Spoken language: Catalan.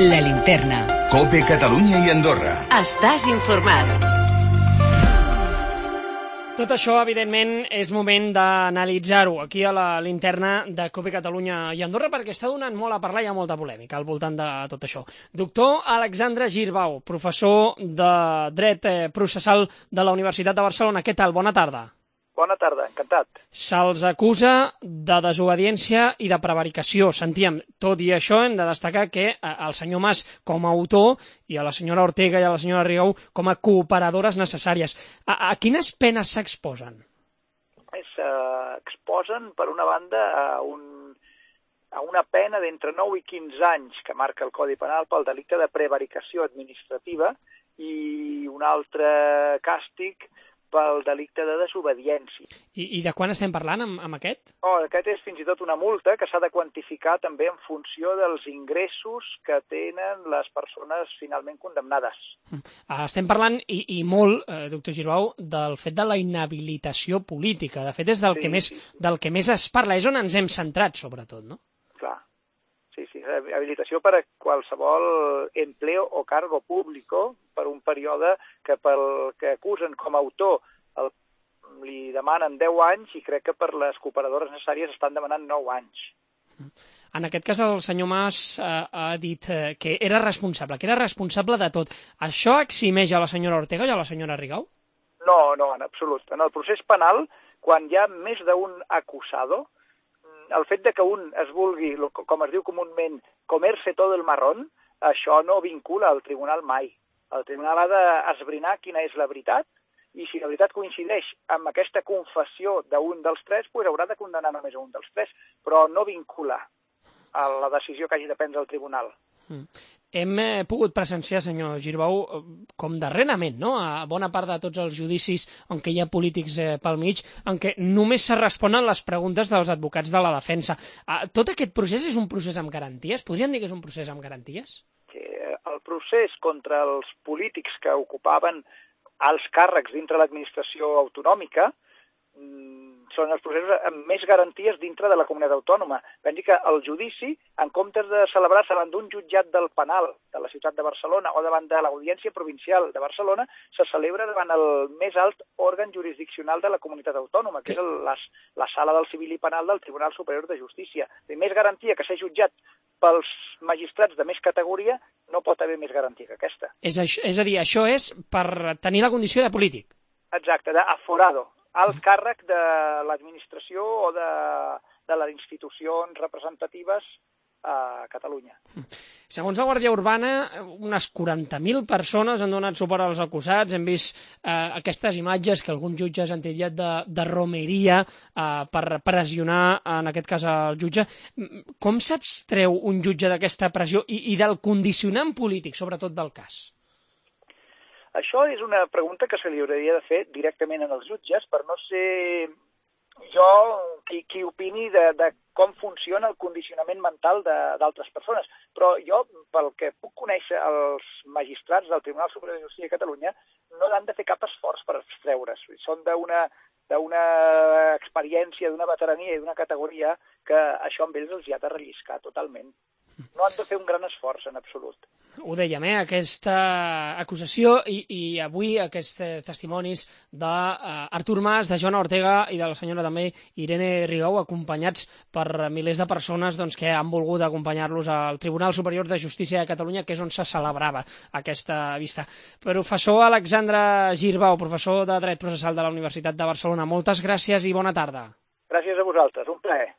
La Linterna. COPE Catalunya i Andorra. Estàs informat. Tot això, evidentment, és moment d'analitzar-ho aquí a la Linterna de COPE Catalunya i Andorra, perquè està donant molt a parlar i hi ha molta polèmica al voltant de tot això. Doctor Alexandre Girbau, professor de Dret Processal de la Universitat de Barcelona. Què tal? Bona tarda. Bona tarda, encantat. Se'ls acusa de desobediència i de prevaricació. Sentíem, tot i això hem de destacar que el senyor Mas com a autor i a la senyora Ortega i a la senyora Rigau com a cooperadores necessàries. A quines penes s'exposen? S'exposen, per una banda, a una pena d'entre 9 i 15 anys que marca el Codi Penal pel delicte de prevaricació administrativa i un altre càstig pel delicte de desobediència. I de quan estem parlant amb aquest? Aquest és fins i tot una multa que s'ha de quantificar també en funció dels ingressos que tenen les persones finalment condemnades. Estem parlant, i molt, doctor Girbau, del fet de la inhabilitació política. De fet, és del que més es parla. És on ens hem centrat, sobretot, no? Clar. Sí, habilitació per a qualsevol empleo o cargo público per un període que pel que acusen com a autor li demanen 10 anys i crec que per les cooperadores necessàries estan demanant 9 anys. En aquest cas el senyor Mas ha dit que era responsable de tot. Això eximeix a la senyora Ortega i a la senyora Rigau? No, en absolut. En el procés penal, quan hi ha més d'un acusado, el fet de que un es vulgui, com es diu comúment, comerse todo el marrón, això no vincula al tribunal mai. El tribunal ha d'esbrinar quina és la veritat i si la veritat coincideix amb aquesta confessió d'un dels tres, doncs haurà de condenar només a un dels tres, però no vincula a la decisió que hagi de prendre el tribunal. Hem pogut presenciar, senyor Girbau, com darrerament, no?, a bona part de tots els judicis on hi ha polítics pel mig, en què només se responen les preguntes dels advocats de la defensa. Tot aquest procés és un procés amb garanties? Podríem dir que és un procés amb garanties? Sí, el procés contra els polítics que ocupaven alts càrrecs dintre l'administració autonòmica són els processos amb més garanties dintre de la comunitat autònoma. Vam dir que el judici, en comptes de celebrar-se davant d'un jutjat del penal de la ciutat de Barcelona o davant de l'Audiència Provincial de Barcelona, se celebra davant el més alt òrgan jurisdiccional de la comunitat autònoma, que és la Sala del Civil i Penal del Tribunal Superior de Justícia. I més garantia que ser jutjat pels magistrats de més categoria no pot haver més garantia que aquesta. És a dir, això és per tenir la condició de polític? Exacte, d'aforado. Alt càrrec de l'administració o de les institucions representatives a Catalunya. Segons la Guàrdia Urbana, unes 40.000 persones han donat suport als acusats. Hem vist aquestes imatges que alguns jutges han titllat de romeria per pressionar, en aquest cas, el jutge. Com s'abstreu un jutge d'aquesta pressió i del condicionant polític, sobretot del cas? Això és una pregunta que se li hauria de fer directament als jutges per no ser jo qui opini de com funciona el condicionament mental d'altres persones. Però jo, pel que puc conèixer, els magistrats del Tribunal Superior de Justícia de Catalunya no han de fer cap esforç per abstreure's. Són d'una experiència, d'una veterania i d'una categoria que això amb ells els hi ha de relliscar totalment. No han de fer un gran esforç, en absolut. Ho dèiem, aquesta acusació i avui aquests testimonis d'Artur Mas, de Joana Ortega i de la senyora també Irene Rigau, acompanyats per milers de persones que han volgut acompanyar-los al Tribunal Superior de Justícia de Catalunya, que és on se celebrava aquesta vista. Professor Alexandre Girbau, professor de Dret Processal de la Universitat de Barcelona, moltes gràcies i bona tarda. Gràcies a vosaltres, un plaer.